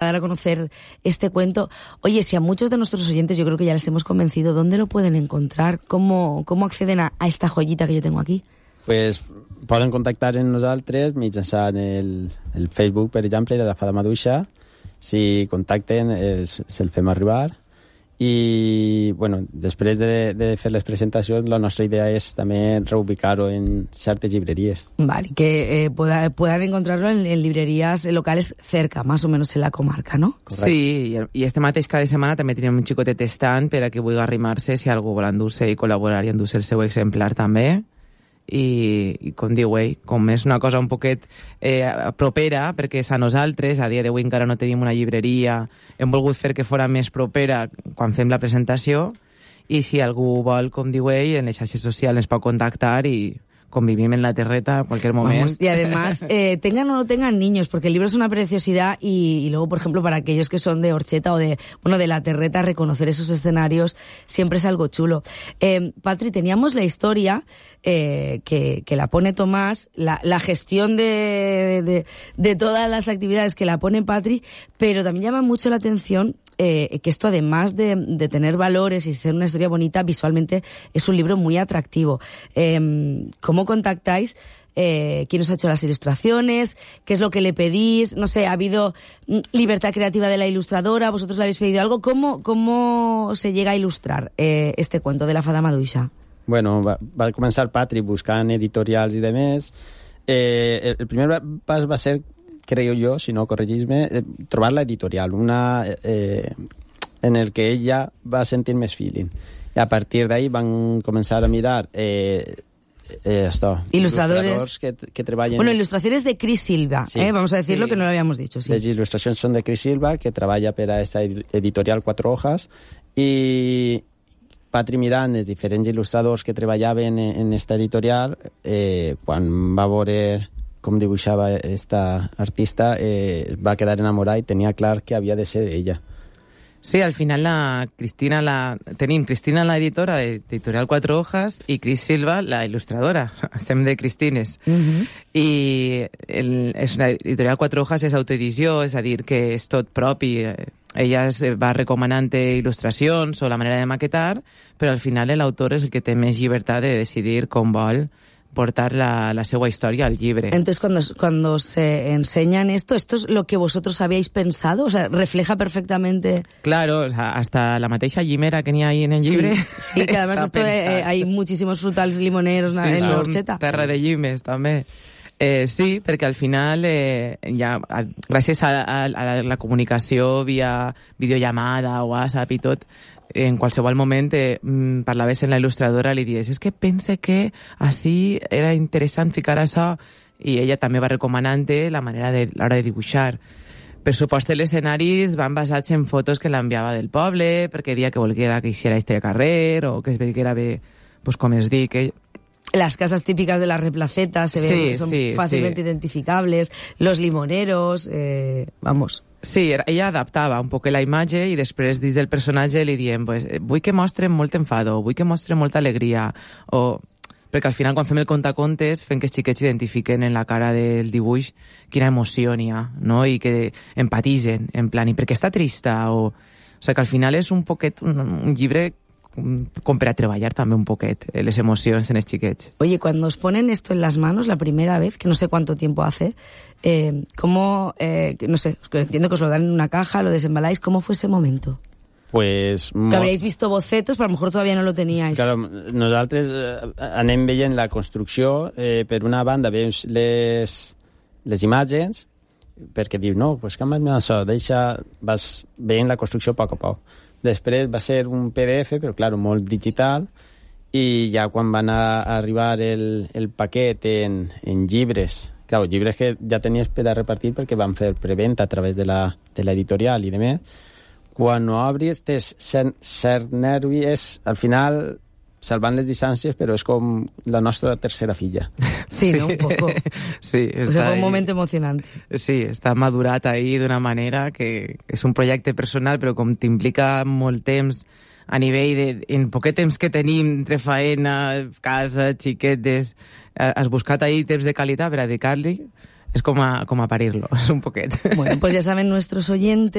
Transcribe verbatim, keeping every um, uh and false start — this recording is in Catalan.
dar a conocer este cuento. Oye, si a muchos de nuestros oyentes yo creo que ya les hemos convencido, ¿dónde lo pueden encontrar? ¿Cómo, cómo acceden a, a esta joyita que yo tengo aquí? Pues poden contactar amb nosaltres mitjançant el, el Facebook, per exemple, de la Fada Maduixa. Si contacten, els, se'l fem arribar. I, bueno, després de, de fer les presentacions, la nostra idea és també reubicar-ho en certes llibreries. Vale, que eh, pueda, puedan encontrarlo en, en librerías locales cerca, más o menos en la comarca, ¿no? Correcte. Sí, i este mateix cada setmana també tenim un xicotet estant per a que vulgui arrimar-se si algú vol endur-se i col·laborar i endur-se el seu exemplar també. I, i com diu ell, com és una cosa un poquet eh, propera, perquè és a nosaltres, a dia d'avui encara no tenim una llibreria, hem volgut fer que fora més propera quan fem la presentació, i si algú vol, com diu ell, en les xarxes socials ens pot contactar i convivim en la terreta a cualquier momento. Vamos, y además, eh, tengan o no tengan niños, porque el libro es una preciosidad y, y luego, por ejemplo, para aquellos que son de Orcheta o de, bueno, de la terreta, reconocer esos escenarios siempre es algo chulo. Eh, Patri, teníamos la historia eh, que, que la pone Tomás, la, la gestión de, de, de todas las actividades que la pone Patri, pero también llama mucho la atención Eh, que esto, además de, de tener valores y ser una historia bonita, visualmente es un libro muy atractivo. Eh, ¿Cómo contactáis? Eh, ¿Quién os ha hecho las ilustraciones? ¿Qué es lo que le pedís? No sé, ¿ha habido libertad creativa de la ilustradora? ¿Vosotros le habéis pedido algo? ¿Cómo, cómo se llega a ilustrar eh, este cuento de la Fada Maduixa? Bueno, va, va començar Patri buscant editorials i demés. Eh, el, el primer pas va ser, creo yo, si no, corregís-me, eh, trobar la editorial, una eh, en el que ella va sentir més feeling. I a partir d'ahí van començar a mirar eh, eh, esto, ilustradores, ilustradors que, que treballen... Bueno, ilustraciones de Cris Silva, sí, eh, vamos a decirlo, sí, que no lo habíamos dicho. Sí. Les il·lustracions són de Cris Silva, que treballa per a esta editorial Cuatro Hojas, i Patri mirant els diferents il·lustradors que treballaven en esta editorial, eh, quan va veure com dibuixava esta artista, eh, va quedar enamorada i tenia clar que havia de ser ella. Sí, al final la Cristina la tenim Cristina, la editora de Editorial Cuatro Hojas, i Cris Silva, la il·lustradora. Estem de Cristines. Uh-huh. I el, és una Editorial Cuatro Hojas és autoedició, és a dir, que és tot propi. Ella es va recomanant il·lustracions o la manera de maquetar, però al final l'autor és el que té més llibertat de decidir com vol portar la, la seva història al llibre. Entonces, cuando, cuando se enseñan esto, ¿esto es lo que vosotros habíais pensado? O sea, ¿refleja perfectamente...? Claro, o sea, hasta la mateixa llimera que n'hi ha ahí en el llibre. Sí, sí, que además esto eh, hay muchísimos frutals limoneros sí, en l'Orxeta. Terra de llimes, també. Eh, sí, perquè al final, eh, ja, a, gràcies a, a, a la comunicació via videollamada, WhatsApp i tot, en qualsevol moment eh, parlaves en la il·lustradora, li dies, és que pense que així era interessant ficar això, i ella també va recomanant la manera de l'hora de dibuixar. Per supost, els escenaris van basats en fotos que l'enviava del poble, perquè dia que volguera que hiciera este carrer, o que es veiera bé, pues, com es dic, que... Las casas típicas de las replacetas se ven, sí, son sí, fácilmente sí. identificables, los limoneros, eh, vamos... Sí, ella adaptava un poc la imatge i després dins del personatge li diem pues, vull que mostren molt enfado, vull que mostren molta alegria, o... perquè al final quan fem el contacontes fem que els xiquets identifiquen en la cara del dibuix quina emoció n'hi ha, no? I que empatitzen, en plan, i perquè està trista, o... O sigui que al final és un poquet un, un llibre com per a treballar també un poquet les emocions en els xiquets. Oye, cuando os ponen esto en las manos la primera vez, que no sé cuánto tiempo hace, eh, ¿cómo, eh, no sé, entiendo que os lo dan en una caja, lo desembaláis, ¿cómo fue ese momento? Pues... Que habríais visto bocetos, però a lo mejor todavía no lo teníais. Claro, nosaltres eh, anem veient la construcció, eh, per una banda veus les, les imatges, perquè diu, no, pues canvia'm això, deixa, vas veient la construcció a poc a poc. Després va ser un P D F, però, clar, molt digital, i ja quan van a arribar el, el paquet en, en llibres, clar, llibres que ja tenies per a repartir perquè van fer preventa a través de la, de l'editorial i demés, quan ho obris, tens cert, cert nervi, és, al final, salvant les distàncies, però és com la nostra tercera filla. Sí, ¿no? Un poco. Sí, o sea, fue un moment emocionante. Sí, està madurat ahí d'una manera que és un projecte personal, però com t'implica molt temps a nivell de... En poquet temps que tenim entre faena, casa, xiquetes, has buscat ahí temps de qualitat per a dedicar-li, és com a, com a parir-lo, és un poquet. Bueno, pues ya saben nuestros oyentes